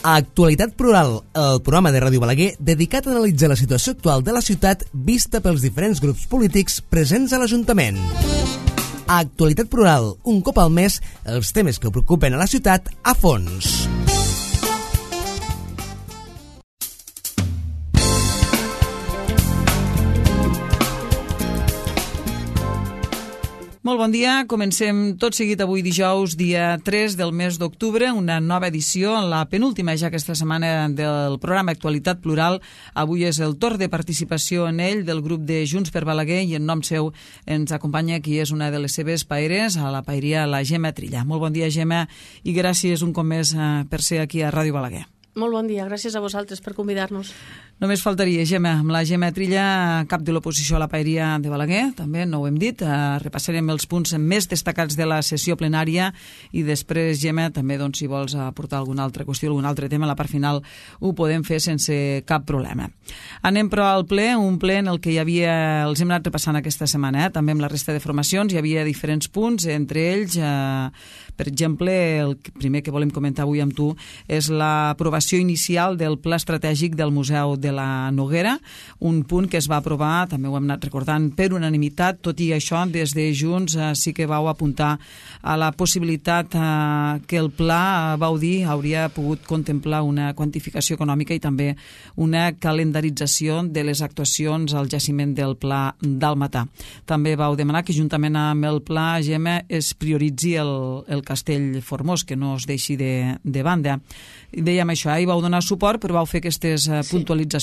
A Actualitat Plural, el programa de Ràdio Balaguer dedicat a analitzar la situació actual de la ciutat vista pels diferents grups polítics presents a l'Ajuntament. A Actualitat Plural, un cop al mes, els temes que preocupen a la ciutat a fons. Molt bon dia, comencem tot seguit avui dijous, dia 3 del mes d'octubre, una nova edició, la penúltima ja aquesta setmana del programa Actualitat Plural. Avui és el torn de participació en ell del grup de Junts per Balaguer i en nom seu ens acompanya qui és una de les seves paeres, a la paeria la Gemma Trilla. Molt bon dia, Gemma, i gràcies un cop més per ser aquí a Ràdio Balaguer. Molt bon dia, gràcies a vosaltres per convidar-nos. Només faltaria, Gemma, amb la Gemma Trilla, cap de l'oposició a la paeria de Balaguer, també no ho hem dit, repassarem els punts més destacats de la sessió plenària i després, Gemma, també si vols aportar alguna altra qüestió, algun altre tema, a la part final ho podem fer sense cap problema. Anem però al ple, un ple en el que hi havia, els hem anat repassant aquesta setmana, també amb la resta de formacions, hi havia diferents punts, entre ells, per exemple, el primer que volem comentar avui amb tu és l'aprovació inicial del Pla Estratègic del Museu de la Noguera, un punt que es va aprovar, també ho hem anat recordant, per unanimitat. Tot i això, des de Junts sí que vau apuntar a la possibilitat que el pla, vau dir, hauria pogut contemplar una quantificació econòmica i també una calendarització de les actuacions al jaciment del Pla d'Almatà. També vau demanar que juntament amb el pla, Gemma, es prioritzi el Castell Formós, que no es deixi de banda. Dèiem això, hi vau donar suport, però vau fer aquestes puntualitzacions.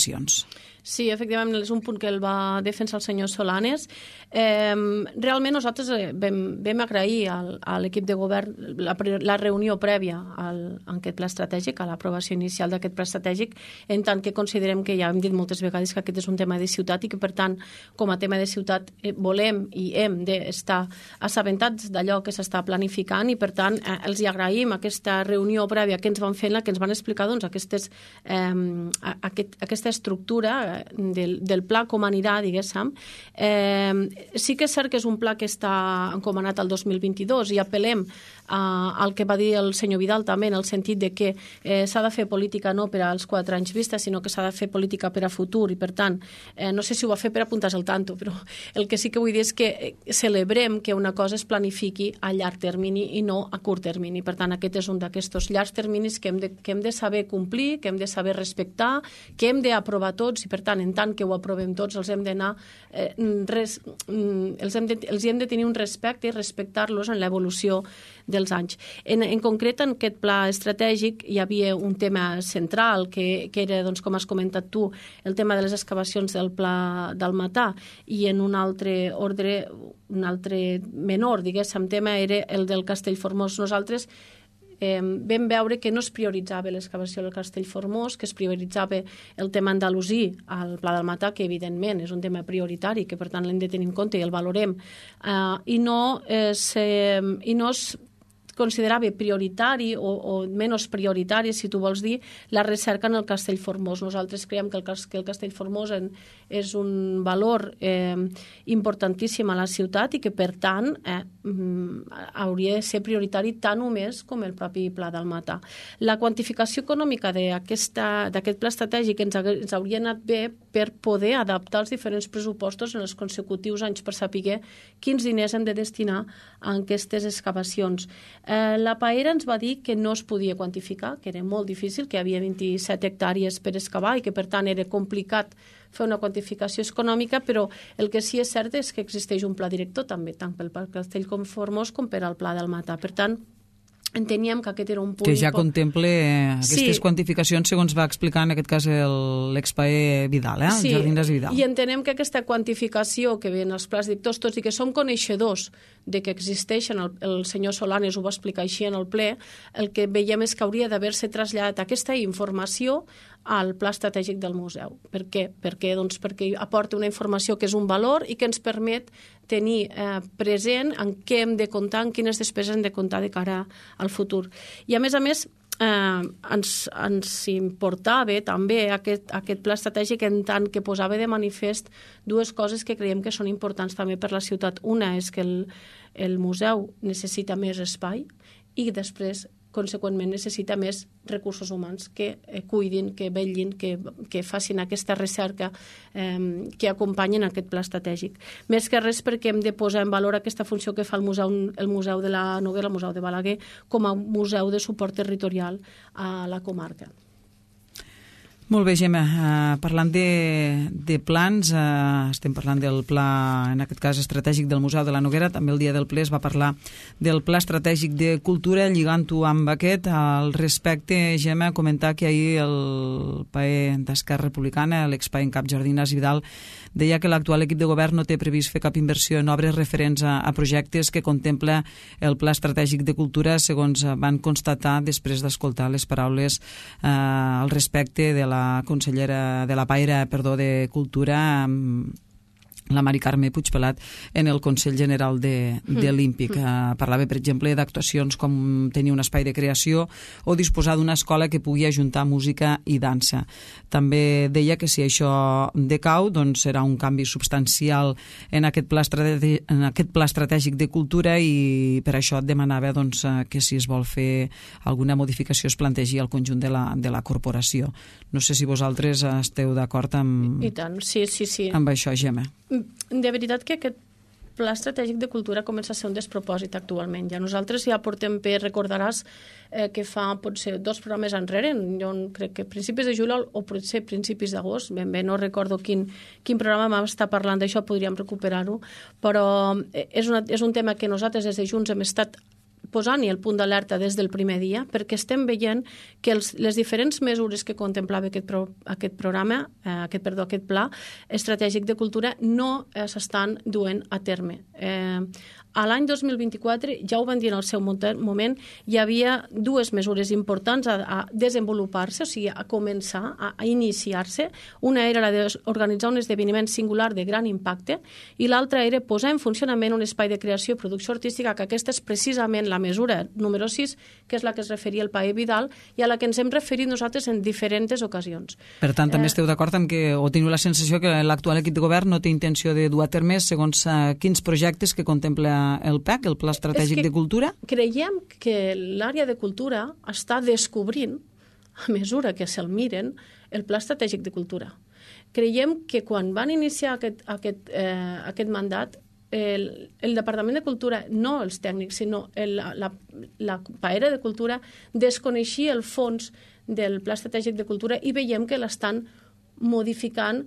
Sí, efectivament, és un punt que el va defensar el senyor Solanes. Realment nosaltres vam agrair a l'equip de govern la reunió prèvia a aquest pla estratègic, a l'aprovació inicial d'aquest pla estratègic, en tant que considerem que ja hem dit moltes vegades que aquest és un tema de ciutat i que, per tant, com a tema de ciutat volem i hem d'estar assabentats d'allò que s'està planificant i, per tant, els hi agraïm aquesta reunió prèvia que ens van fer, en la que ens van explicar aquesta estructura del pla, com anirà, diguéssim. Sí que és cert que és un pla que està encomanat al 2022 i apel·lem al que va dir el senyor Vidal també, en el sentit de que s'ha de fer política no per als 4 anys vista, sinó que s'ha de fer política per a futur i, per tant, no sé si ho va fer per apuntar-se al tanto, però el que sí que vull dir és que celebrem que una cosa es planifiqui a llarg termini i no a curt termini. Per tant, aquest és un d'aquests llargs terminis que hem de saber complir, que hem de saber respectar, que hem d'aprovar tots i, per tant, en tant que ho aprovem tots, els hem d'anar els hem de tenir un respecte i respectar-los en l'evolució dels anys. En concret, en aquest pla estratègic hi havia un tema central que era, doncs, com has comentat tu, el tema de les excavacions del Pla d'Almatà, i en un altre ordre, un altre menor, diguéssim, tema era el del Castell Formós. Nosaltres vam veure que no es prioritzava l'excavació del Castell Formós, que es prioritzava el tema andalusí al Pla d'Almatà, que evidentment és un tema prioritari, que per tant l'hem de tenir en compte i el valorem, i no es considerava prioritari o menys prioritari, si tu vols dir, la recerca en el Castell Formós. Nosaltres creiem que el Castell Formós és un valor importantíssim a la ciutat i que, per tant, hauria de ser prioritari tant o més com el propi Pla d'Almatà. La quantificació econòmica d'aquest pla estratègic ens hauria anat bé per poder adaptar els diferents pressupostos en els consecutius anys per saber quins diners hem de destinar a aquestes excavacions. La paera ens va dir que no es podia quantificar, que era molt difícil, que hi havia 27 hectàrees per excavar i que, per tant, era complicat fer una quantificació econòmica, però el que sí és cert és que existeix un pla director també, tant pel Castell Formós com per al Pla d'Almatà. Per tant, enteníem que aquest era un punt... Que ja contemple aquestes quantificacions, segons va explicar en aquest cas l'expaer Vidal, Sí, Jardines Vidal. I entenem que aquesta quantificació que ve en els plans directors, tots i que som coneixedors de que existeixen, el senyor Solanes ho va explicar així en el ple, el que veiem és que hauria d'haver-se traslladat aquesta informació al pla estratègic del museu. Per què? Perquè aporta una informació que és un valor i que ens permet tenir present en què hem de comptar, en quines despeses hem de comptar de cara al futur. I a més, ens importava també aquest pla estratègic en tant que posava de manifest dues coses que creiem que són importants també per la ciutat. Una és que el museu necessita més espai i després conseqüentment necessita més recursos humans que cuidin, que vetllin, que facin aquesta recerca que acompanyen aquest pla estratègic. Més que res perquè hem de posar en valor aquesta funció que fa el Museu de la Noguera, el Museu de Balaguer, com a museu de suport territorial a la comarca. Molt bé, Gemma. Parlant de plans, estem parlant del pla, en aquest cas estratègic del Museu de la Noguera, també el dia del ple es va parlar del pla estratègic de cultura, lligant-ho amb aquest. Al respecte, Gemma, comentar que ahir el PAE d'Esquerra Republicana, l'exPAE en cap Jordi Ignasi Vidal, deia que l'actual equip de govern no té previst fer cap inversió en obres referents a projectes que contempla el pla estratègic de cultura, segons van constatar després d'escoltar les paraules al respecte de la consellera de la Paire, de Cultura, la Mari Carme Puigpelat, en el Consell General de l'Ímpic. Parlava, per exemple, d'actuacions com tenir un espai de creació o disposar d'una escola que pugui ajuntar música i dansa. També deia que si això decau, doncs serà un canvi substancial en aquest pla estratègic de cultura, i per això et demanava que si es vol fer alguna modificació es plantegi al conjunt de la corporació. No sé si vosaltres esteu d'acord amb... I tant, sí. Amb això, Gemma. De veritat que aquest pla estratègic de cultura comença a ser un despropòsit actualment. Ja nosaltres ja portem recordaràs que fa potser 2 programes enrere, jo crec que principis de juliol o potser principis d'agost, ben bé no recordo quin programa vam estar parlant d'això, podríem recuperar-ho, però és un tema que nosaltres des de Junts hem estat posant-hi el punt d'alerta des del primer dia, perquè estem veient que les diferents mesures que contemplava aquest pla estratègic de cultura no s'estan duent a terme. A l'any 2024, ja ho van dir en el seu moment, hi havia 2 mesures importants a desenvolupar-se, o sigui, a començar, a iniciar-se. Una era la d'organitzar un esdeveniment singular de gran impacte i l'altra era posar en funcionament un espai de creació i producció artística, que aquesta és precisament la mesura número 6, que és la que es referia al PAE Vidal i a la que ens hem referit nosaltres en diferents ocasions. Per tant, també esteu d'acord amb que, o teniu la sensació que l'actual equip de govern no té intenció de dur a terme segons quins projectes que contempla el PEC, el Pla Estratègic de Cultura? Creiem que l'àrea de cultura està descobrint, a mesura que se'l miren, el Pla Estratègic de Cultura. Creiem que quan van iniciar aquest mandat, el Departament de Cultura, no els tècnics, sinó la Paera de Cultura, desconeixia el fons del Pla Estratègic de Cultura i veiem que l'estan modificant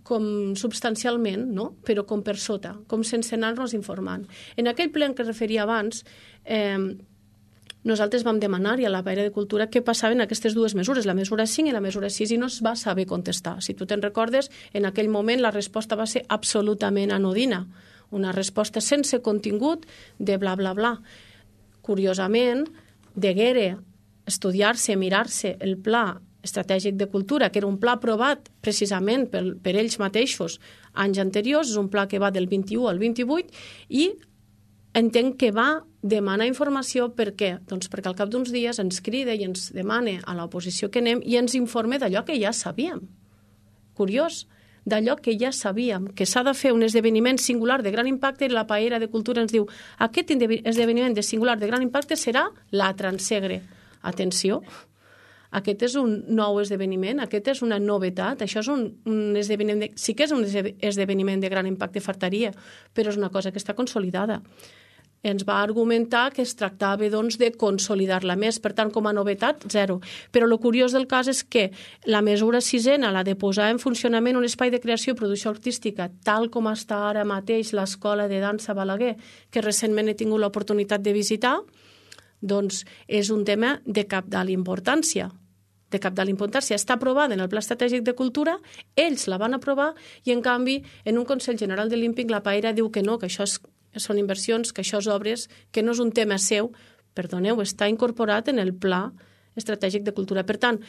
com substancialment, no? Però com per sota, com sense anar-nos informant. En aquell ple en què es referia abans, nosaltres vam demanar-hi a la Paera de Cultura què passaven aquestes 2 mesures, la mesura 5 i la mesura 6, i no es va saber contestar. Si tu te'n recordes, en aquell moment la resposta va ser absolutament anodina, una resposta sense contingut de bla, bla, bla. Curiosament, deguera estudiar-se, mirar-se el pla estratègic de cultura, que era un pla aprovat precisament per ells mateixos anys anteriors, és un pla que va del 21 al 28, i entenc que va demanar informació. Per què? Doncs perquè al cap d'uns dies ens crida i ens demana a l'oposició que anem i ens informa d'allò que ja sabíem. Curiós, d'allò que ja sabíem, que s'ha de fer un esdeveniment singular de gran impacte, i la Paera de Cultura ens diu aquest esdeveniment de singular de gran impacte serà la Transegre. Atenció, aquest és un nou esdeveniment, aquest és una novetat, això és un esdeveniment, sí que és un esdeveniment de gran impacte, fartaria, però és una cosa que està consolidada. Ens va argumentar que es tractava doncs, de consolidar-la més, per tant, com a novetat, 0. Però el curiós del cas és que la mesura 6ena, la de posar en funcionament un espai de creació i producció artística, tal com està ara mateix l'Escola de Dansa Balaguer, que recentment he tingut l'oportunitat de visitar, doncs és un tema de cabdal importància. Està aprovada en el Pla Estratègic de Cultura, ells la van aprovar i, en canvi, en un Consell General de l'Ímpic, la Paera diu que no, que això són inversions, que això és obres, que no és un tema seu. Perdoneu, està incorporat en el Pla Estratègic de Cultura. Per tant,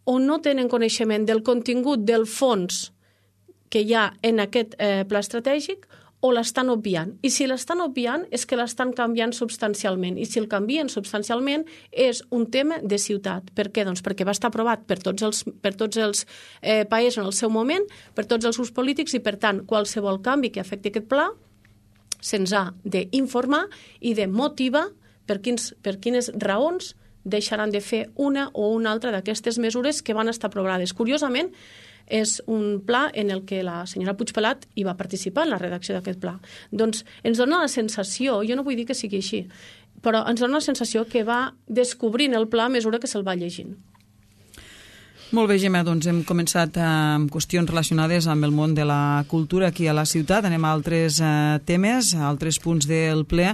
o no tenen coneixement del contingut del fons que hi ha en aquest pla estratègic, o l'estan obviant. I si l'estan obviant és que l'estan canviant substancialment. I si el canvien substancialment és un tema de ciutat. Per què? Doncs perquè va estar aprovat per tots els països en el seu moment, per tots els grups polítics, i per tant qualsevol canvi que afecti aquest pla se'ns ha d'informar i de motivar per quines raons deixaran de fer una o una altra d'aquestes mesures que van estar aprovades. Curiosament, és un pla en el que la senyora Puigpelat hi va participar en la redacció d'aquest pla. Doncs ens dona la sensació, jo no vull dir que sigui així, però ens dona la sensació que va descobrint el pla a mesura que se'l va llegint. Molt bé, Gemma, doncs hem començat amb qüestions relacionades amb el món de la cultura aquí a la ciutat. Anem a altres temes, a altres punts del ple.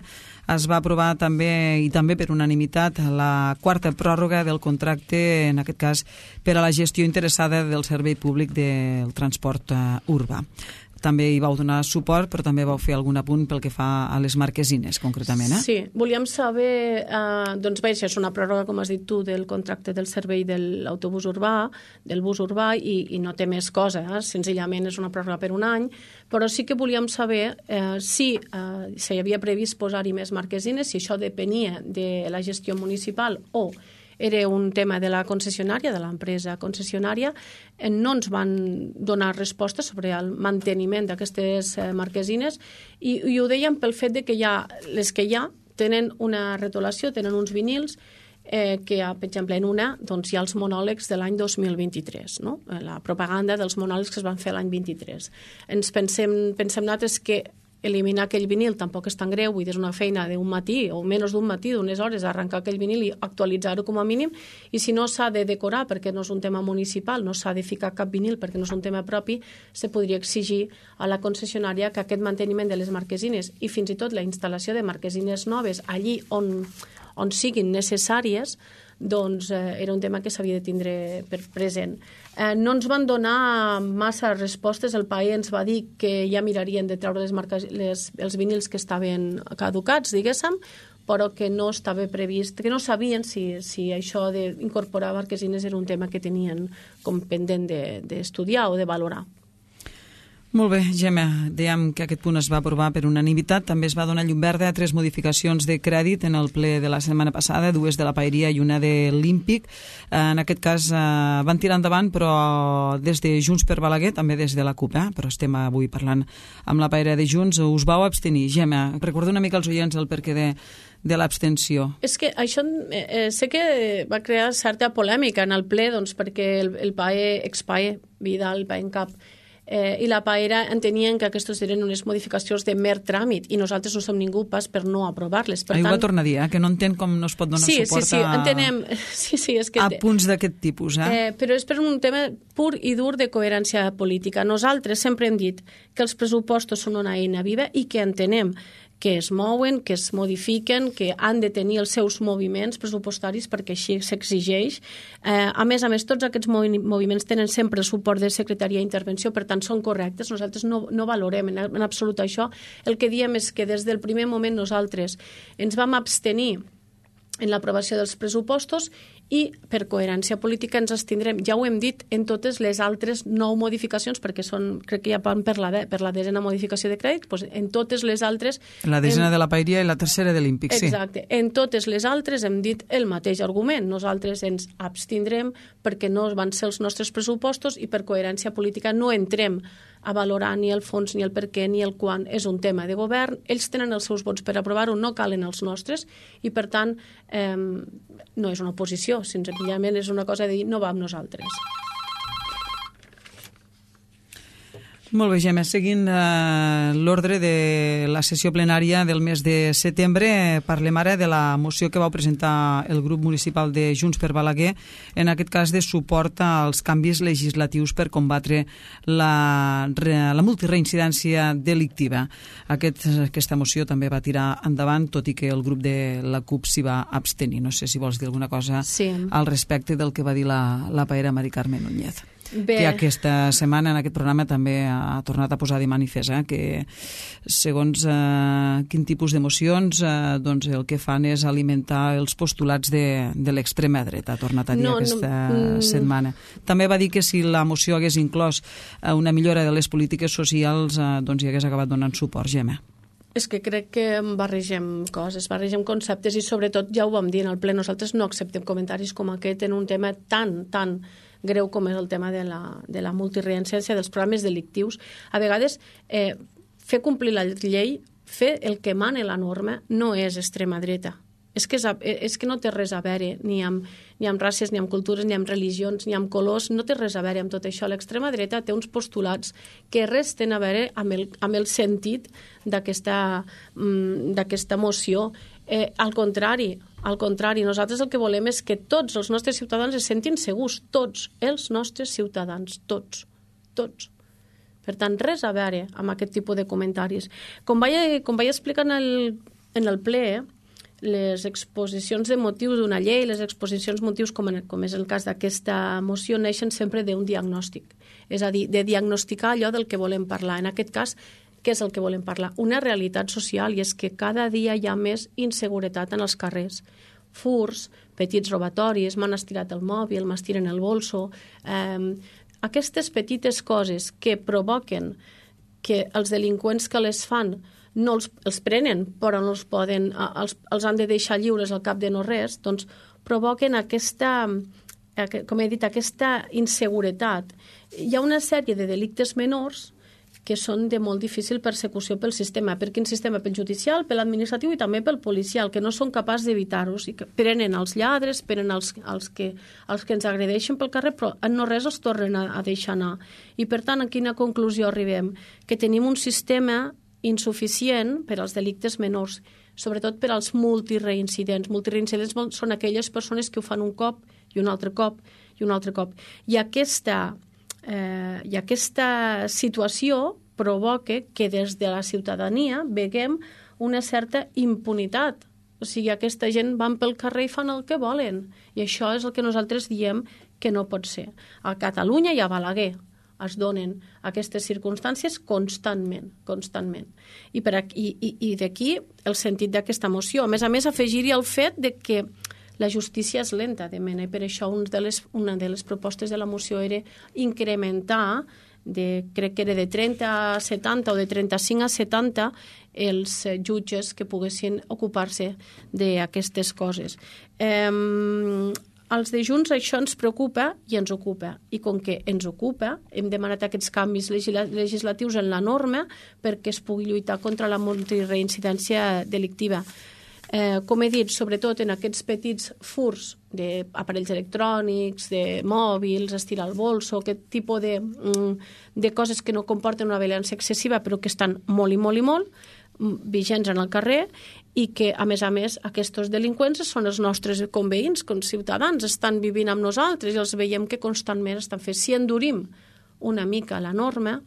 Es va aprovar també, i també per unanimitat, la quarta pròrroga del contracte, en aquest cas, per a la gestió interessada del servei públic del transport urbà. També hi vau donar suport, però també vau fer algun apunt pel que fa a les marquesines, concretament. Sí, volíem saber, doncs bé, això és una pròrroga, com has dit tu, del contracte del servei de l'autobús urbà, del bus urbà, i no té més cosa, senzillament és una pròrroga per un any, però sí que volíem saber si s'hi havia previst posar-hi més marquesines, si això depenia de la gestió municipal o era un tema de la concessionària, de l'empresa concessionària. No ens van donar resposta sobre el manteniment d'aquestes marquesines i ho dèiem pel fet de que les que hi ha tenen una retolació, tenen uns vinils que, per exemple, en una doncs, hi ha els monòlegs de l'any 2023, no? La propaganda dels monòlegs que es van fer l'any 23. Pensem nosaltres que eliminar aquell vinil tampoc és tan greu, vull dir, és una feina d'un matí o menys d'un matí, d'unes hores, arrencar aquell vinil i actualitzar-ho com a mínim, i si no s'ha de decorar perquè no és un tema municipal, no s'ha de ficar cap vinil perquè no és un tema propi, se podria exigir a la concessionària que aquest manteniment de les marquesines i fins i tot la instal·lació de marquesines noves allí on siguin necessàries, doncs era un tema que s'havia de tindre per present. No ens van donar massa respostes. El PAE ens va dir que ja mirarien de treure els vinils que estaven caducats, diguéssim, però que no estava previst, que no sabien si això d'incorporar marquesines era un tema que tenien com pendent d'estudiar o de valorar. Molt bé, Gemma, dèiem que aquest punt es va aprovar per unanimitat. També es va donar llum verda a 3 modificacions de crèdit en el ple de la setmana passada, 2 de la Paeria i una de l'Ímpic. En aquest cas van tirar endavant, però des de Junts per Balaguer, també des de la CUP, però estem avui parlant amb la Paeria de Junts. Us vau abstenir. Gemma, recorda una mica als oients el perquè de l'abstenció. És que això sé que va crear certa polèmica en el ple, doncs, perquè el PAE, ex-PAE, Vidal, PAE en cap, i la Paera entenien que aquestes eren unes modificacions de mer tràmit i nosaltres no som ningú pas per no aprovar-les. Ho va tornar a dir, que no entén com no es pot donar suport entenem. A punts d'aquest tipus. Però és per un tema pur i dur de coherència política. Nosaltres sempre hem dit que els pressupostos són una eina viva i que entenem que es mouen, que es modifiquen, que han de tenir els seus moviments pressupostaris perquè així s'exigeix. A més, tots aquests moviments tenen sempre el suport de Secretaria d'Intervenció, per tant són correctes. Nosaltres no valorem en absolut això. El que diem és que des del primer moment nosaltres ens vam abstenir en l'aprovació dels pressupostos i per coherència política ens abstindrem. Ja ho hem dit en totes les altres 9 modificacions, perquè crec que ja van per la 10ena modificació de crèdit, doncs en totes les altres... La 10ena de la Paeria i la 3ª de l'Ímpic, sí. Exacte. En totes les altres hem dit el mateix argument. Nosaltres ens abstindrem perquè no van ser els nostres pressupostos i per coherència política no entrem a valorar ni el fons, ni el per què, ni el quan. És un tema de govern. Ells tenen els seus vots per aprovar-ho, no calen els nostres, i per tant no és una oposició, senzillament és una cosa de dir no va amb nosaltres. Molt bé, Gemma. Seguint l'ordre de la sessió plenària del mes de setembre, parlem ara de la moció que vau presentar el grup municipal de Junts per Balaguer, en aquest cas de suport als canvis legislatius per combatre la multireincidència delictiva. Aquesta moció també va tirar endavant, tot i que el grup de la CUP s'hi va abstenir. No sé si vols dir alguna cosa al respecte del que va dir la Paera Mari Carmen Núñez. Que aquesta setmana en aquest programa també ha tornat a posar de manifest que segons quin tipus d'emocions doncs el que fan és alimentar els postulats de l'extrema dreta, ha tornat a dir aquesta setmana. També va dir que si la moció hagués inclòs una millora de les polítiques socials doncs hi hagués acabat donant suport. Gemma. És que crec que barregem coses, barregem conceptes i sobretot ja ho vam dir en el ple, nosaltres no acceptem comentaris com aquest en un tema tan greu com és el tema de la multireincidència dels programes delictius. A vegades, fer complir la llei, fer el que mana la norma, no és extrema dreta. És que no té res a veure ni amb races, ni amb cultures, ni amb religions, ni amb colors, no té res a veure amb tot això. L'extrema dreta té uns postulats que res tenen a veure amb el sentit d'aquesta moció. Al contrari, nosaltres el que volem és que tots els nostres ciutadans es sentin segurs, tots els nostres ciutadans, tots. Per tant, res a veure amb aquest tipus de comentaris. Com vaig explicar en el ple, les exposicions de motius d'una llei, les exposicions de motius, com és el cas d'aquesta moció, neixen sempre d'un diagnòstic. És a dir, de diagnosticar allò del que volem parlar. En aquest cas, què és el que volem parlar? Una realitat social, i és que cada dia hi ha més inseguretat en els carrers. Furs, petits robatoris, m'han estirat el mòbil, m'estiren el bolso. Aquestes petites coses que provoquen que els delinqüents que les fan no els prenen, però no els han de deixar lliures al cap de no res, doncs provoquen aquesta inseguretat. Hi ha una sèrie de delictes menors que són de molt difícil persecució pel sistema. Per quin sistema? Pel judicial, per l'administratiu i també pel policial, que no són capaços d'evitar-los. I que prenen els lladres, prenen els que ens agredeixen pel carrer, però en no res els tornen a deixar anar. I per tant, a quina conclusió arribem? Que tenim un sistema insuficient per als delictes menors, sobretot per als multireincidents. Multireincidents són aquelles persones que ho fan un cop i un altre cop i un altre cop. I aquesta situació provoca que des de la ciutadania veiem una certa impunitat. O sigui, aquesta gent van pel carrer i fan el que volen. I això és el que nosaltres diem que no pot ser. A Catalunya i a Balaguer es donen aquestes circumstàncies constantment. I d'aquí el sentit d'aquesta moció. A més, afegir-hi el fet de que la justícia és lenta de mena, i per això una de les propostes de la moció era incrementar, crec que era de 30 a 70 o de 35 a 70 els jutges que poguessin ocupar-se d'aquestes coses. Als de Junts això ens preocupa i ens ocupa. I com que ens ocupa, hem demanat aquests canvis legislatius en la norma perquè es pugui lluitar contra la multireincidència delictiva. Com he dit, sobretot en aquests petits furs d'aparells electrònics, de mòbils, estirar el bolso, aquest tipus de coses que no comporten una violència excessiva però que estan molt i molt i molt vigents en el carrer, i que, a més, aquests delinqüents són els nostres conveïns, com ciutadans, estan vivint amb nosaltres i els veiem que constantment estan fent. Si endurim una mica la norma,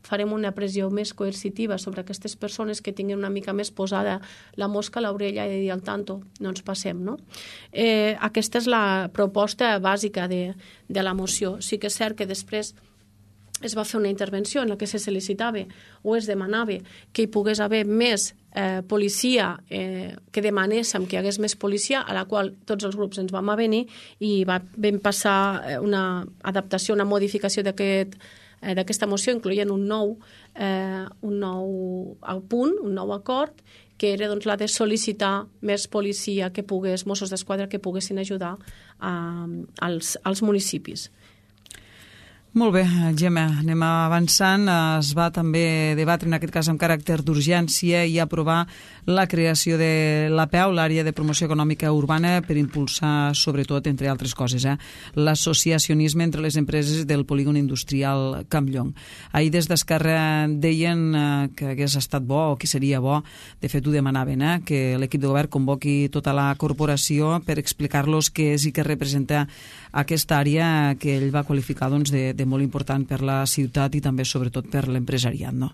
farem una pressió més coercitiva sobre aquestes persones que tinguin una mica més posada la mosca a l'orella i dir al tanto, no ens passem, no? Aquesta és la proposta bàsica de la moció. Sí que és cert que després es va fer una intervenció en la que se sol·licitava o es demanava que hi pogués haver més policia, que demanéssim que hi hagués més policia, a la qual tots els grups ens vam avenir i vam passar una adaptació, una modificació d'aquesta moció, incloent un nou punt, un nou acord, que era la de sol·licitar més policia Mossos d'Esquadra que poguessin ajudar als municipis. Molt bé, Gemma, anem avançant. Es va també debatre, en aquest cas amb caràcter d'urgència, i aprovar la creació de l'APEU, l'Àrea de Promoció Econòmica Urbana, per impulsar, sobretot, entre altres coses, l'associacionisme entre les empreses del polígon industrial Campllong. Ahir des d'Esquerra deien que hagués estat bo, o que seria bo, de fet ho demanaven, que l'equip de govern convoqui tota la corporació per explicar-los què és i què representa aquesta àrea que ell va qualificar de molt important per la ciutat i també, sobretot, per l'empresariat, no?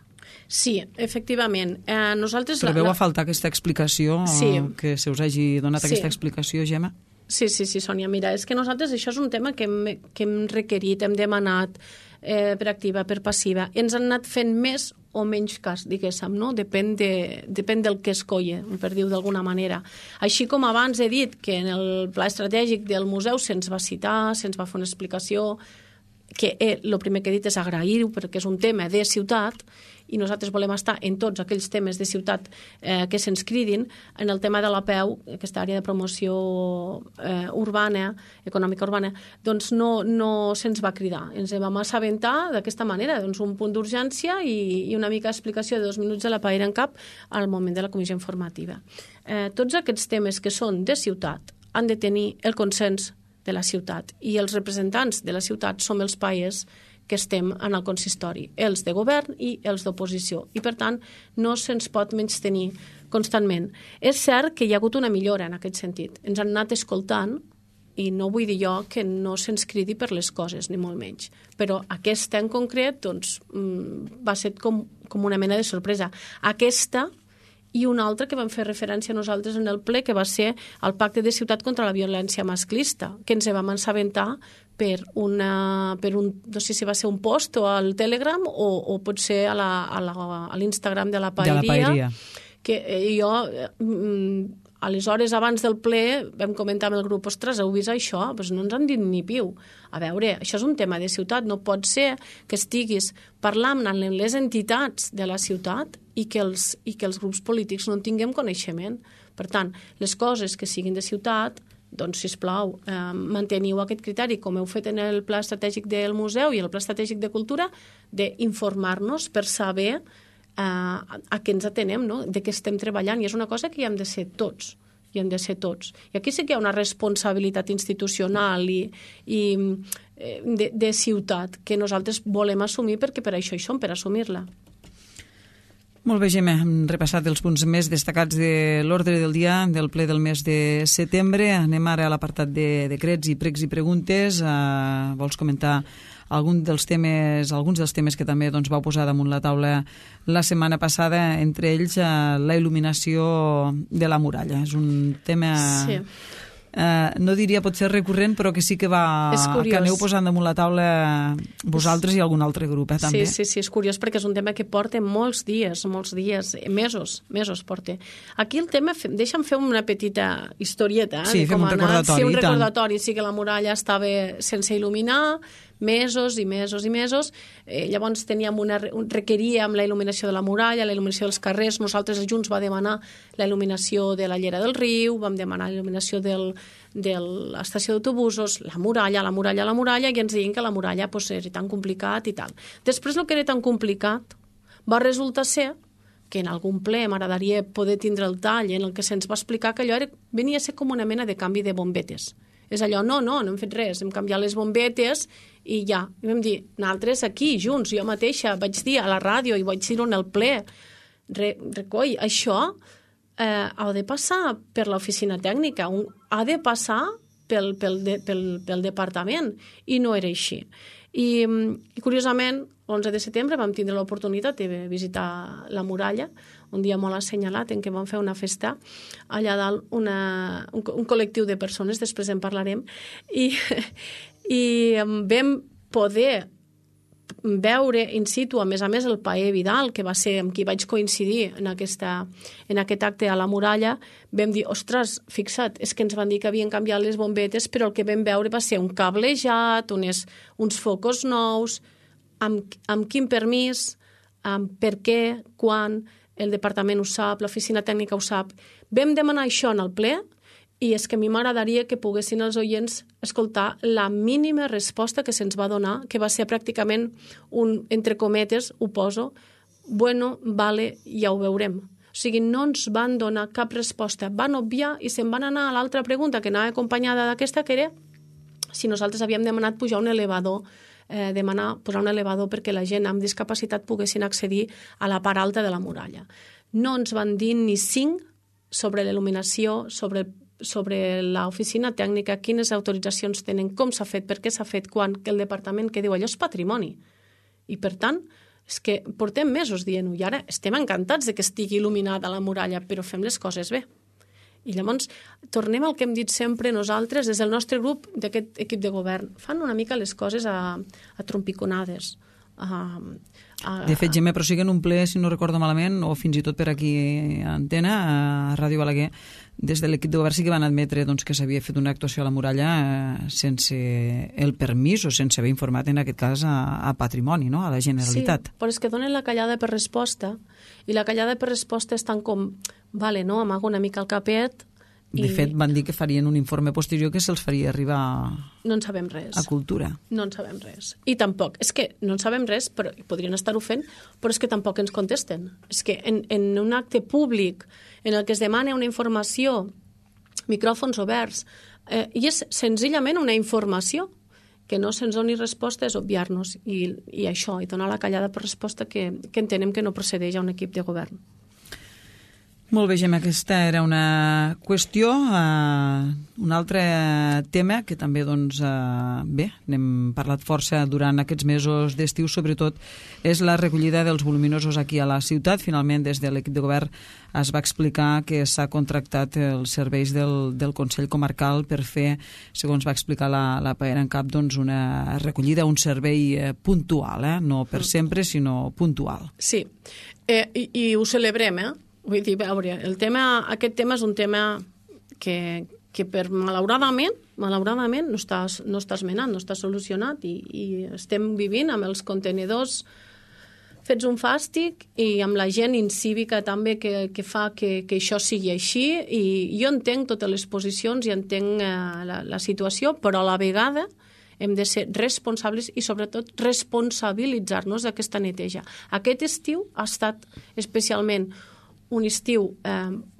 Sí, efectivament. Trobeu a faltar aquesta explicació? Sí. Que se us hagi donat aquesta explicació, Gemma? Sí, Sònia. Mira, és que nosaltres això és un tema que hem requerit, hem demanat per activa, per passiva. Ens han anat fent més o menys cas, diguéssim, no? Depèn del que es colla, per dir-ho d'alguna manera. Així com abans he dit que en el pla estratègic del museu se'ns va citar, se'ns va fer una explicació que el primer que he dit és agrair-ho perquè és un tema de ciutat i nosaltres volem estar en tots aquells temes de ciutat que se'ns cridin. En el tema de la PEU, aquesta àrea de promoció urbana, econòmica urbana, doncs no se'ns va cridar. Ens vam assabentar d'aquesta manera, doncs un punt d'urgència i una mica d'explicació de 2 minuts de la paella en cap al moment de la comissió informativa. Tots aquests temes que són de ciutat han de tenir el consens de la ciutat i els representants de la ciutat som els paers que estem en el consistori, els de govern i els d'oposició. I, per tant, no se'ns pot menystenir constantment. És cert que hi ha hagut una millora en aquest sentit. Ens han anat escoltant i no vull dir jo que no se'ns cridi per les coses, ni molt menys. Però aquesta en concret doncs, va ser com una mena de sorpresa. Aquesta i una altra que vam fer referència nosaltres en el ple, que va ser el Pacte de Ciutat contra la Violència Masclista, que ens vam assabentar per un, no sé si va ser un post o al Telegram o potser a l'Instagram de la Paeria. Que jo, aleshores, abans del ple, vam comentar amb el grup, ostres, heu vist això? Doncs no ens han dit ni piu. A veure, això és un tema de ciutat, no pot ser que estiguis parlant amb les entitats de la ciutat i que els grups polítics no en tinguem coneixement. Per tant, les coses que siguin de ciutat, doncs, sisplau, manteniu aquest criteri, com heu fet en el Pla Estratègic del Museu i el Pla Estratègic de Cultura, d'informar-nos per saber a què ens atenem, no? De què estem treballant. I és una cosa que hi hem de ser tots. I aquí sí que hi ha una responsabilitat institucional i de ciutat que nosaltres volem assumir perquè per això hi som, per assumir-la. Molt bé, Gemma, hem repassat els punts més destacats de l'ordre del dia del ple del mes de setembre. Anem ara a l'apartat de decrets i pregs i preguntes. Vols comentar alguns dels temes que també vau posar damunt la taula la setmana passada, entre ells la il·luminació de la muralla? És un tema... Sí. No diria potser recurrent, però que sí que aneu posant damunt la taula vosaltres i algun altre grup, també. Sí, és curiós perquè és un tema que porta molts dies, mesos porta. Aquí el tema, deixa'm fer una petita historieta. Sí, fem un recordatori. Sí, un recordatori, sí que la muralla estava sense il·luminar, mesos i mesos i mesos. Llavors requeríem la il·luminació de la muralla, la il·luminació dels carrers. Nosaltres junts vam demanar la il·luminació de la llera del riu, vam demanar la il·luminació de l'estació d'autobusos, la muralla, i ens deien que la muralla era tan complicat i tal. Després, el que era tan complicat va resultar ser que en algun ple m'agradaria poder tindre el tall en el que se'ns va explicar que allò venia a ser com una mena de canvi de bombetes. És allò, no hem fet res, hem canviat les bombetes i ja. I vam dir, nosaltres aquí, junts, jo mateixa vaig dir a la ràdio i vaig dir-ho en el ple, recoll, això ha de passar per l'oficina tècnica, ha de passar pel departament, i no era així. I curiosament, l'11 de setembre vam tindre l'oportunitat de visitar la muralla, un dia molt assenyalat en què vam fer una festa allà dalt, un col·lectiu de persones, després en parlarem, i vam poder veure in situ, a més el Paer Vidal, que va ser amb qui vaig coincidir en aquest acte a la muralla. Vam dir, ostres, fixa't, és que ens van dir que havien canviat les bombetes, però el que vam veure va ser un cablejat, uns focus nous, amb quin permís, per què, quan, el departament ho sap, l'oficina tècnica ho sap. Vam demanar això en el ple, i és que a mi m'agradaria que poguessin els oients escoltar la mínima resposta que se'ns va donar, que va ser pràcticament entre cometes, ho poso, bueno, vale, ja ho veurem. O sigui, no ens van donar cap resposta, van obviar i se'n van anar a l'altra pregunta que anava acompanyada d'aquesta, que era si nosaltres havíem demanat pujar un elevador, posar un elevador perquè la gent amb discapacitat poguessin accedir a la part alta de la muralla. No ens van dir ni 5 sobre l'il·luminació, sobre l'oficina tècnica, quines autoritzacions tenen, com s'ha fet, per què s'ha fet, quan, que el departament que diu allò és patrimoni. I per tant, és que portem mesos dient-ho i ara estem encantats de que estigui il·luminada la muralla, però fem les coses bé. I llavors tornem al que hem dit sempre nosaltres, des del nostre grup d'aquest equip de govern. Fan una mica les coses a trompiconades. De fet, Gemma, però sí que en un ple, si no recordo malament, o fins i tot per aquí a Antena, a Ràdio Balaguer, des de l'equip de govern sí que van admetre doncs, que s'havia fet una actuació a la muralla sense el permís o sense haver informat, en aquest cas, a Patrimoni, no? A la Generalitat. Sí, però és que donen la callada per resposta, i la callada per resposta és tan com, vale, no, amago una mica el capet. De fet, van dir que farien un informe posterior que se'ls faria arribar no en sabem res. A Cultura. No en sabem res. I tampoc, és que no en sabem res, però podrien estar-ho fent, però és que tampoc ens contesten. És que en un acte públic en el que es demana una informació, micròfons oberts, i és senzillament una informació, que no se'ns doni resposta és obviar-nos, i això, i donar la callada per resposta que entenem que no procedeix a un equip de govern. Molt bé, Gemma, aquesta era una qüestió. Un altre tema que també, doncs, bé, n'hem parlat força durant aquests mesos d'estiu, sobretot, és la recollida dels voluminosos aquí a la ciutat. Finalment, des de l'equip de govern es va explicar que s'ha contractat els serveis del Consell Comarcal per fer, segons va explicar la Paera en Cap, doncs, una recollida, un servei puntual, no per sempre, sinó puntual. Sí, i ho celebrem, Vull dir, veure, aquest tema és un tema que per malauradament no està esmenat, no està solucionat i estem vivint amb els contenidors fets un fàstic i amb la gent incívica també que fa que això sigui així, i jo entenc totes les posicions i entenc la situació, però a la vegada hem de ser responsables i sobretot responsabilitzar-nos d'aquesta neteja. Aquest estiu ha estat especialment un estiu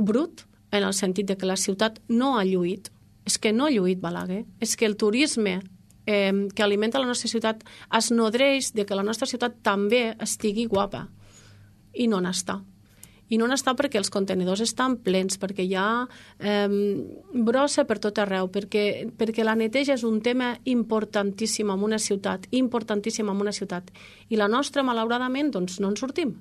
brut, en el sentit de que la ciutat no ha lluït. És que no ha lluït Balaguer. És que el turisme que alimenta la nostra ciutat es nodreix de que la nostra ciutat també estigui guapa. I no n'està. I no n'està perquè els contenidors estan plens, perquè hi ha brossa per tot arreu, perquè la neteja és un tema importantíssim en una ciutat, I la nostra, malauradament, doncs no en sortim.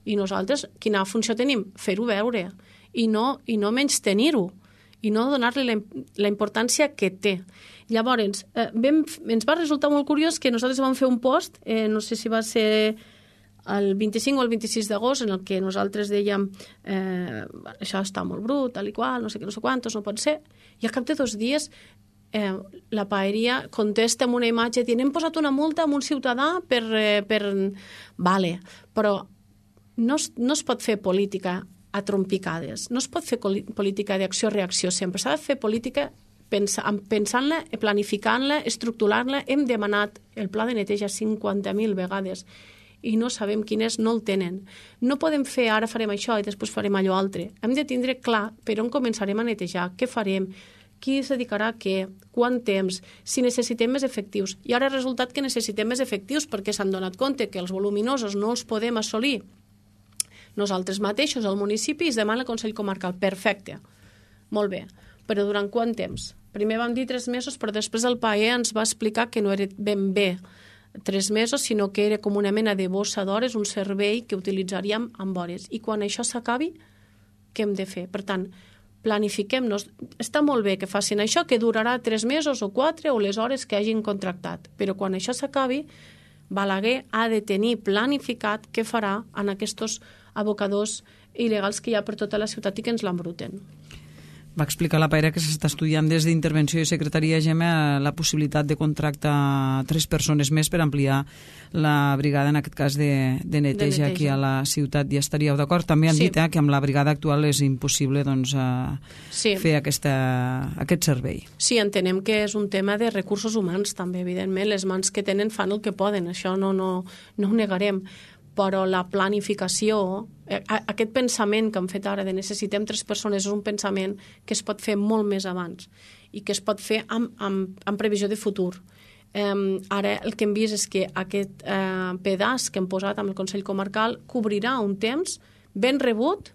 I nosaltres, quina funció tenim? Fer-ho veure i no menys tenir-ho i no donar-li la importància que té. Llavors, ens va resultar molt curiós que nosaltres vam fer un post, no sé si va ser el 25 o el 26 d'agost, en el que nosaltres dèiem això està molt brut, tal i qual, no sé què, no sé quantos, no pot ser, i al cap de 2 dies la Paeria contesta amb una imatge dient hem posat una multa a un ciutadà per... Vale, però no es pot fer política a trompicades, no es pot fer política d'acció-reacció sempre, s'ha de fer política pensant-la, planificant-la, estructurant-la. Hem demanat el pla de neteja 50.000 vegades i no sabem quin és, no el tenen. No podem fer ara farem això i després farem allò altre. Hem de tindre clar per on començarem a netejar, què farem, qui es dedicarà a què, quant temps, si necessitem més efectius. I ara ha resultat que necessitem més efectius perquè s'han donat compte que els voluminosos no els podem assolir nosaltres mateixos, al municipi, es demana el Consell Comarcal. Perfecte, molt bé, però durant quant temps? Primer vam dir 3 mesos, però després el PAE ens va explicar que no era ben bé 3 mesos, sinó que era com una mena de bossa d'hores, un servei que utilitzaríem amb hores. I quan això s'acabi, què hem de fer? Per tant, planifiquem-nos. Està molt bé que facin això, que durarà 3 mesos o 4 o les hores que hagin contractat, però quan això s'acabi, Balaguer ha de tenir planificat què farà en aquests abocadors il·legals que hi ha per tota la ciutat i que ens l'embruten. Va explicar la Paera que s'està estudiant des d'Intervenció i Secretaria, Gemma, la possibilitat de contractar 3 persones més per ampliar la brigada, en aquest cas, de neteja aquí a la ciutat. Ja estaríeu d'acord? També han dit que amb la brigada actual és impossible fer aquest servei. Sí, entenem que és un tema de recursos humans també, evidentment. Les mans que tenen fan el que poden, això no ho negarem. Però la planificació, aquest pensament que hem fet ara de necessitem 3 persones és un pensament que es pot fer molt més abans i que es pot fer amb previsió de futur. Ara el que hem vist és que aquest pedaç que hem posat amb el Consell Comarcal cobrirà un temps ben rebut,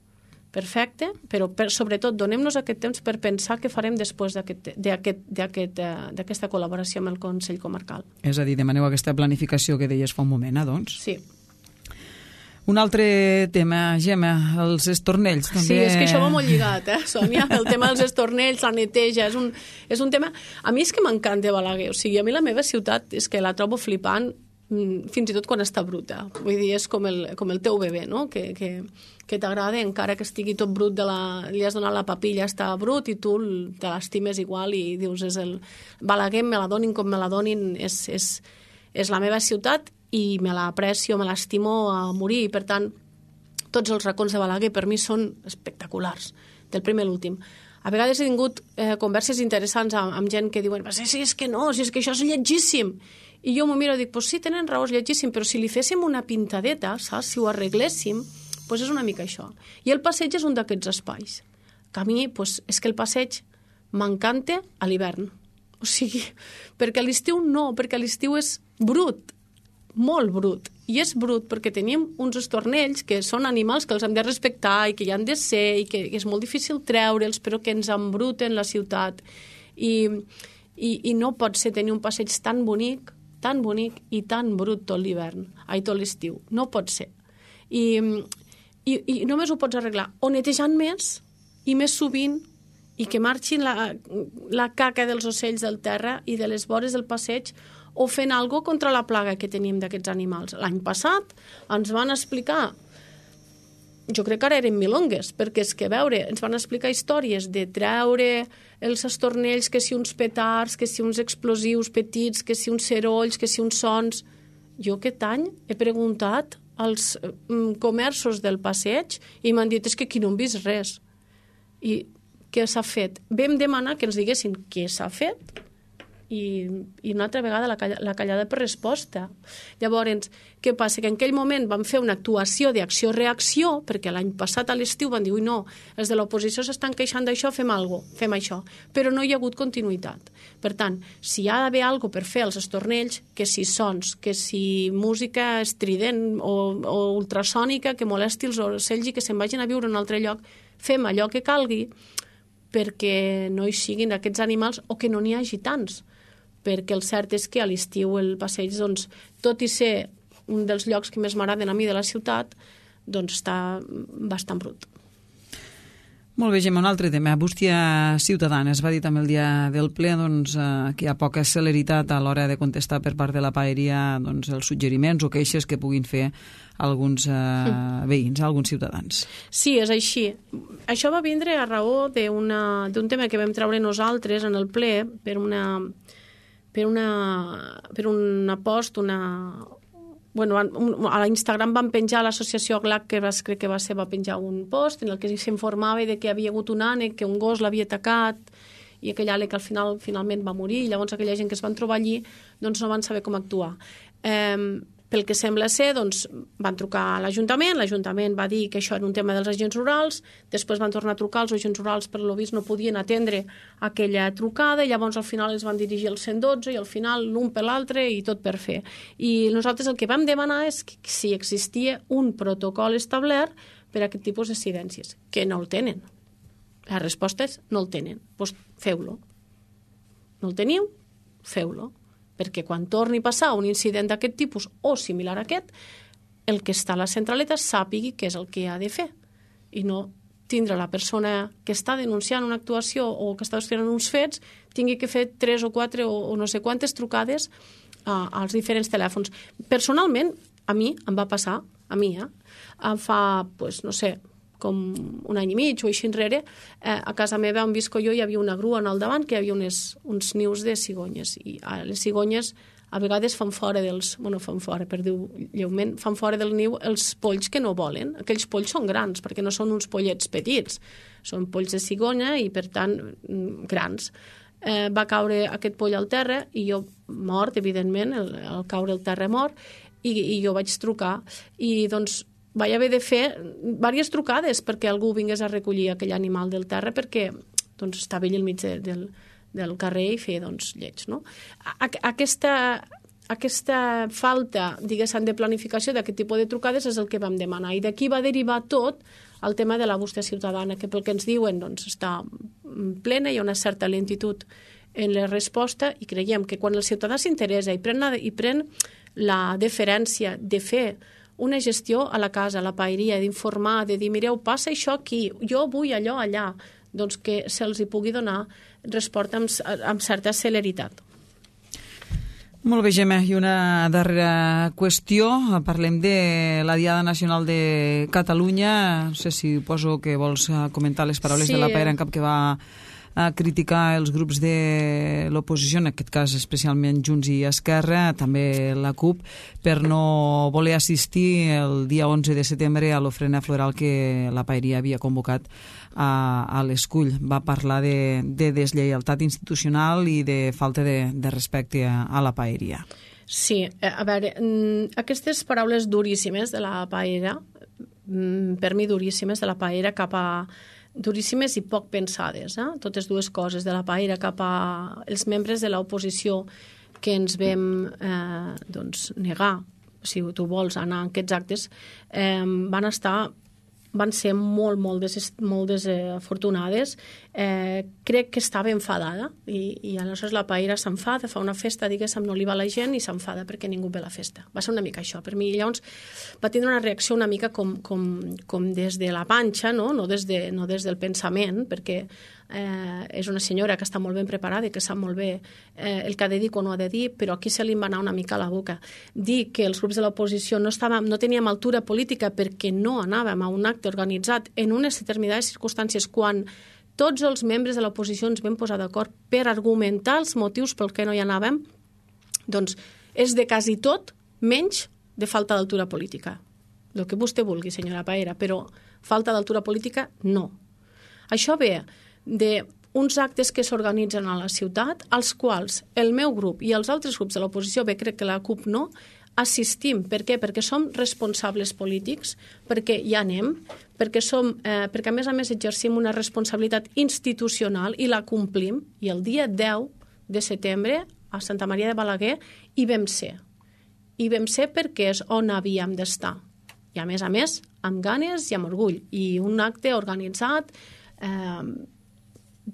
perfecte, però sobretot donem-nos aquest temps per pensar què farem després d'aquesta col·laboració amb el Consell Comarcal. És a dir, demaneu aquesta planificació que deies fa un moment, doncs? Sí. Un altre tema, Gemma, els estornells. També... Sí, és que això va molt lligat, Sònia? El tema dels estornells, la neteja, és un tema... A mi és que m'encanta Balaguer, o sigui, a mi la meva ciutat és que la trobo flipant fins i tot quan està bruta. Vull dir, és com el teu bebè, no? Que t'agrada, encara que estigui tot brut, li has donat la papilla, està brut, i tu te l'estimes igual i dius, Balaguer, me la donin com me la donin, és la meva ciutat i me l'aprecio, me l'estimo a morir. I, per tant, tots els racons de Balaguer per mi són espectaculars, del primer a l'últim. A vegades he tingut converses interessants amb gent que diuen, sí, és que no, si és que això és lletgíssim. I jo m'ho miro i dic, pues sí, tenen raó, és lletgíssim, però si li féssim una pintadeta, saps? Si ho arregléssim, pues és una mica això. I el passeig és un d'aquests espais. Que a mi, pues, és que el passeig m'encanta a l'hivern. O sigui, perquè a l'estiu no, perquè a l'estiu és brut, molt brut. I és brut perquè tenim uns estornells que són animals que els hem de respectar i que hi han de ser i que és molt difícil treure'ls, però que ens embruten la ciutat. I no pot ser tenir un passeig tan bonic i tan brut tot l'hivern, tot l'estiu. No pot ser. I només ho pots arreglar o netejant més i més sovint i que marxin la caca dels ocells del terra i de les vores del passeig, o fent alguna cosa contra la plaga que tenim d'aquests animals. L'any passat ens van explicar, jo crec que ara eren milongues, perquè és que, ens van explicar històries de treure els estornells, que si uns petards, que si uns explosius petits, que si uns cerolls, que si uns sons. Jo aquest any he preguntat als comerços del passeig i m'han dit, és que aquí no hem vist res. I què s'ha fet? Vam demanar que ens diguessin què s'ha fet i una altra vegada la callada per resposta. Llavors, què passa? Que en aquell moment vam fer una actuació d'acció-reacció, perquè l'any passat a l'estiu van dir, ui no, els de l'oposició s'estan queixant d'això, fem això, però no hi ha hagut continuïtat. Per tant, si hi ha d'haver alguna cosa per fer als estornells, que si sons, que si música estrident o ultrasònica que molesti els ocells i que se'n vagin a viure en un altre lloc, fem allò que calgui perquè no hi siguin aquests animals o que no n'hi hagi tants. Perquè el cert és que a l'estiu el passeig, doncs, tot i ser un dels llocs que més m'agraden a mi de la ciutat, doncs està bastant brut. Molt bé, Gemma, un altre tema. Bústia ciutadana. Es va dir també el dia del ple que hi ha poca celeritat a l'hora de contestar per part de la paeria els suggeriments o queixes que puguin fer alguns veïns, alguns ciutadans. Sí, és així. Això va vindre a raó d'un tema que vam treure nosaltres en el ple per una post, a l'Instagram van penjar, l'associació GLAC, crec que va penjar un post en el que s'informava de que havia hagut un ànec, que un gos l'havia atacat i aquell ànec al finalment va morir, i llavors aquella gent que es van trobar allí doncs no van saber com actuar. Pel que sembla ser, doncs, van trucar a l'Ajuntament va dir que això era un tema dels agents rurals, després van tornar a trucar, els agents rurals per lo vist no podien atendre aquella trucada, i llavors al final es van dirigir al 112 i al final l'un per l'altre i tot per fer. I nosaltres el que vam demanar és que si existia un protocol establert per a aquest tipus d'incidències, que no el tenen. La resposta és no el tenen, doncs feu-lo. No el teniu? Feu-lo. Perquè quan torni a passar un incident d'aquest tipus o similar a aquest, el que està a la centraleta sàpigui què és el que ha de fer i no tindre la persona que està denunciant una actuació o que està fent uns fets tingui que fer 3 o 4 o no sé quantes trucades als diferents telèfons. Personalment, a mi em va passar, fa, no sé, com un any i mig o així enrere, a casa meva on visco jo hi havia una grua al davant que hi havia uns nius de cigonyes, i les cigonyes a vegades fan fora fan fora del niu els polls que no volen. Aquells polls són grans perquè no són uns pollets petits, són polls de cigonya i per tant grans. Va caure aquest poll al terra i jo mort, evidentment, al caure al terra mort, i jo vaig trucar i doncs vaig haver de fer diverses trucades perquè algú vingués a recollir aquell animal del terra perquè doncs, estava ell al mig del carrer i feia lleig. No? Aquesta falta, diguéssim, de planificació d'aquest tipus de trucades és el que vam demanar. I d'aquí va derivar tot el tema de la bústia ciutadana, que pel que ens diuen està plena, hi ha una certa lentitud en la resposta i creiem que quan el ciutadà s'interessa i pren la deferència de fer una gestió a la casa, a la paeria, d'informar, de dir, mireu, passa això aquí, jo vull allò allà, doncs que se'ls hi pugui donar resposta amb certa celeritat. Molt bé, Gemma. I una darrera qüestió. Parlem de la Diada Nacional de Catalunya. No sé si poso que vols comentar les paraules de la Paera en cap, que va a criticar els grups de l'oposició, en aquest cas especialment Junts i Esquerra, també la CUP, per no voler assistir el dia 11 de setembre a l'ofrena floral que la Paeria havia convocat a l'Escull. Va parlar de deslleialtat institucional i de falta de respecte a la Paeria. Sí, a veure, aquestes paraules duríssimes de la Paera, per mi duríssimes, de la Paera cap a duríssimes i poc pensades, totes dues coses, de la Paera cap a els membres de l'oposició que ens vam negar, si tu vols anar a aquests actes, van ser molt desafortunades. Crec que estava enfadada i aleshores la Paera s'enfada, fa una festa, diguéssim, no li va a la gent i s'enfada perquè ningú ve a la festa. Va ser una mica això per mi. Llavors va tindre una reacció una mica com des de la panxa, no des del pensament, perquè és una senyora que està molt ben preparada i que sap molt bé el que ha de dir o no ha de dir, però aquí se li va anar una mica a la boca. Dir que els grups de l'oposició no teníem altura política perquè no anàvem a un acte organitzat en unes determinades circumstàncies quan tots els membres de l'oposició ens vam posar d'acord per argumentar els motius pel que no hi anàvem, doncs és de quasi tot menys de falta d'altura política. El que vostè vulgui, senyora Paera, però falta d'altura política, no. Això ve d'uns actes que s'organitzen a la ciutat, als quals el meu grup i els altres grups de l'oposició, bé, crec que la CUP no, assistim. Per què? Perquè som responsables polítics, perquè hi anem, perquè a més exercim una responsabilitat institucional i la complim, i el dia 10 de setembre a Santa Maria de Balaguer hi vam ser. Hi vam ser perquè és on havíem d'estar. I a més, amb ganes i amb orgull. I un acte organitzat,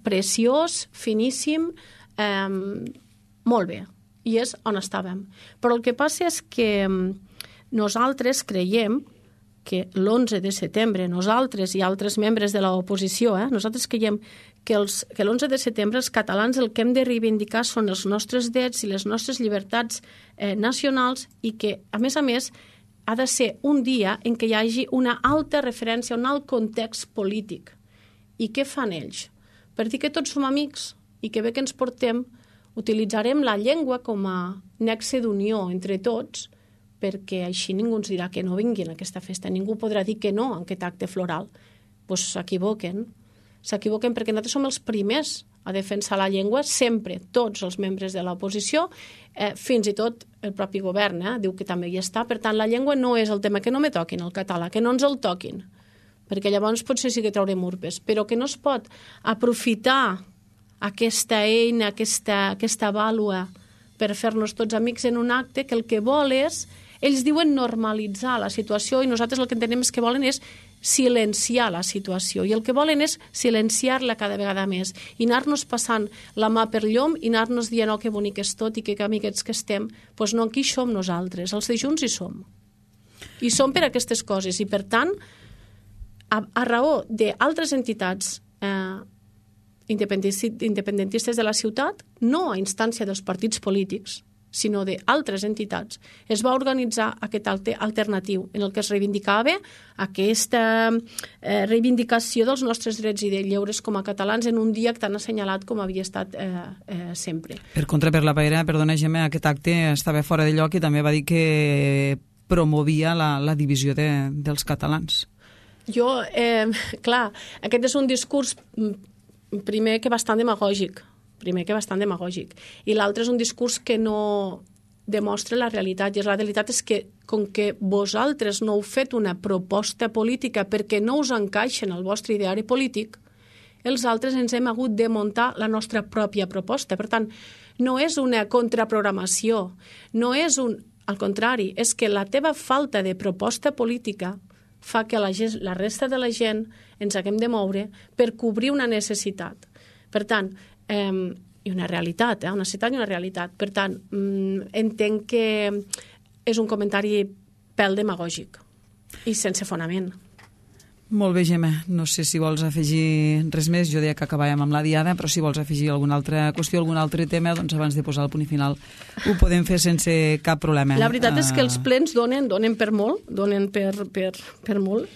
preciós, finíssim, molt bé, i és on estàvem. Però el que passa és que nosaltres creiem que l'11 de setembre, nosaltres i altres membres de l'oposició, nosaltres creiem que l'11 de setembre els catalans el que hem de reivindicar són els nostres drets i les nostres llibertats nacionals, i que, a més, ha de ser un dia en què hi hagi una alta referència, un alt context polític. I què fan ells? Per dir que tots som amics i que bé que ens portem, utilitzarem la llengua com a nexe d'unió entre tots, perquè així ningú ens dirà que no vinguin a aquesta festa. Ningú podrà dir que no a aquest acte floral. Doncs s'equivoquen. S'equivoquen perquè nosaltres som els primers a defensar la llengua, sempre, tots els membres de l'oposició, fins i tot el propi govern diu que també hi està. Per tant, la llengua no és el tema, que no me toquin el català, que no ens el toquin, perquè llavors potser sí que traurem urpes, però que no es pot aprofitar aquesta eina, aquesta vàlua per fer-nos tots amics en un acte que el que vol és, ells diuen normalitzar la situació, i nosaltres el que entenem és que volen és silenciar la situació, i el que volen és silenciar-la cada vegada més i anar-nos passant la mà per llom i anar-nos dient que bonic és tot i que amiguets que estem. Doncs no, aquí som nosaltres, els de Junts hi som. I som per aquestes coses, i per tant, a raó d'altres entitats independentistes de la ciutat, no a instància dels partits polítics, sinó d'altres entitats, es va organitzar aquest acte alternatiu en el que es reivindicava aquesta reivindicació dels nostres drets i de lleures com a catalans en un dia tan assenyalat com havia estat sempre. Per contra, per la Paera, perdona, Gemma, aquest acte estava fora de lloc i també va dir que promovia la divisió dels catalans. Clar, aquest és un discurs primer que bastant demagògic, i l'altre és un discurs que no demostra la realitat, i la realitat és que com que vosaltres no heu fet una proposta política perquè no us encaixa en el vostre ideari polític, els altres ens hem hagut de muntar la nostra pròpia proposta. Per tant, no és una contraprogramació, no és al contrari, és que la teva falta de proposta política fa que la resta de la gent ens haguem de moure per cobrir una necessitat. Per tant, i una realitat, una necessitat i una realitat. Per tant, entenc que és un comentari pèl demagògic i sense fonament. Molt bé, Gemma. No sé si vols afegir res més. Jo deia que acabàvem amb la diada, però si vols afegir alguna altra qüestió, algun altre tema, doncs abans de posar el punt final ho podem fer sense cap problema. La veritat és que els plens donen per molt, donen per molt,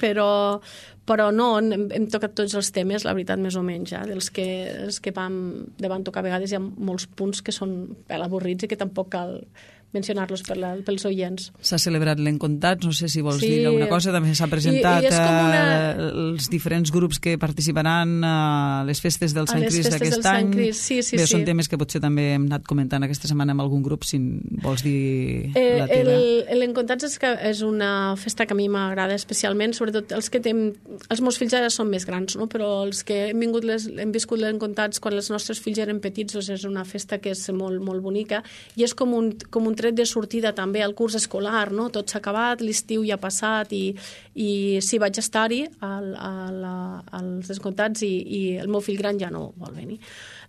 però no, hem tocat tots els temes, la veritat, més o menys, dels que van tocar. A vegades hi ha molts punts que són avorrits i que tampoc cal mencionar-los pels oients. S'ha celebrat l'Encontats, no sé si vols dir alguna cosa, també s'ha presentat els diferents grups que participaran a les festes del Sant Crist d'aquest any. Bé, són temes que potser també hem anat comentant aquesta setmana amb algun grup, si vols dir la teva. L'Encontats és una festa que a mi m'agrada especialment, sobretot els meus fills ara són més grans, no? Però els que hem viscut l'Encontats quan els nostres fills eren petits, doncs és una festa que és molt, molt bonica i és com un tret de sortida també al curs escolar, no? Tot s'ha acabat, l'estiu ja ha passat i sí, vaig estar-hi als Encontats i el meu fill gran ja no vol venir,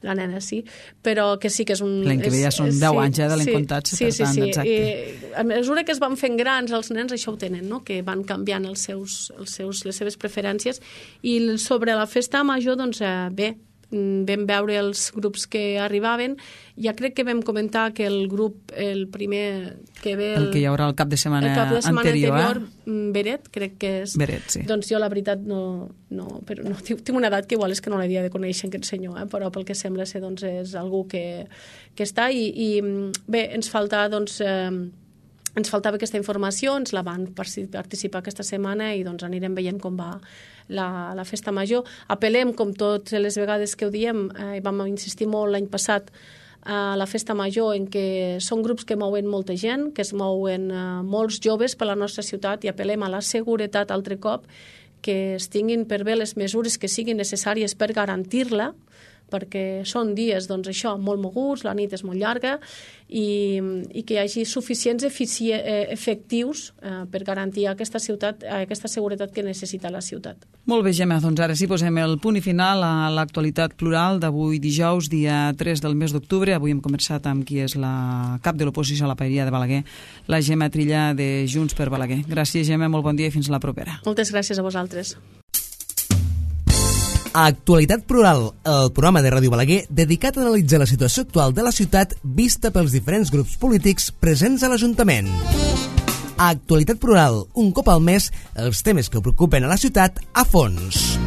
la nena sí, però que sí que és un... L'any que ve ja són 10 anys de l'Encontats, per tant, exacte. I a mesura que es van fent grans, els nens això ho tenen, no? Que van canviant les seves preferències i sobre la festa major, doncs bé, vam veure els grups que arribaven. Ja crec que vam comentar que el grup, el primer que ve... El que hi haurà el cap de setmana anterior, Beret, crec que és... Beret, sí. Doncs jo la veritat però tinc una edat que igual és que no l'havia de conèixer aquest senyor, però pel que sembla ser doncs és algú que està i bé, ens falta doncs... Ens faltava aquesta informació, ens la van participar aquesta setmana i doncs anirem veient com va la festa major. Apel·lem, com totes les vegades que ho diem, i vam insistir molt l'any passat a la festa major, en què són grups que mouen molta gent, que es mouen molts joves per la nostra ciutat i apel·lem a la seguretat altre cop, que es tinguin per bé les mesures que siguin necessàries per garantir-la, perquè són dies, doncs això, molt moguts, la nit és molt llarga i que hi hagi suficients efectius per garantir aquesta seguretat que necessita la ciutat. Molt bé, Gemma, doncs ara sí posem el punt i final a l'actualitat plural d'avui dijous, dia 3 del mes d'octubre. Avui hem conversat amb qui és la cap de l'oposició a la Paeria de Balaguer, la Gemma Trilla de Junts per Balaguer. Gràcies, Gemma, molt bon dia i fins la propera. Moltes gràcies a vosaltres. Actualitat Plural, el programa de Ràdio Balaguer dedicat a analitzar la situació actual de la ciutat vista pels diferents grups polítics presents a l'Ajuntament. Actualitat Plural, un cop al mes, els temes que preocupen a la ciutat a fons.